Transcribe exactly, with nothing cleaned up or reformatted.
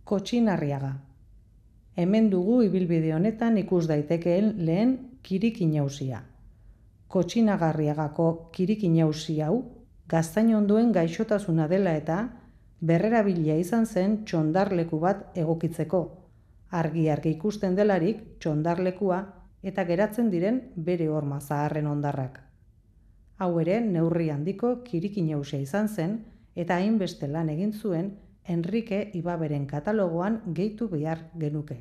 Kotxinarriaga. Hemen dugu ibilbide honetan ikus daitekeen lehen kirikinausia. Kotxinagarriagako kirikinausi hau gaztainonduen gaixotasuna dela eta berrerabilia izan zen txondarleku bat egokitzeko, argi-argi ikusten delarik txondarlekua eta geratzen diren bere horma zaharren hondarrak. Hau ere neurri handiko kirikinausia izan zen eta hainbeste lan egin zuen Enrique Ibaberen katalogoan gehitu behar genuke.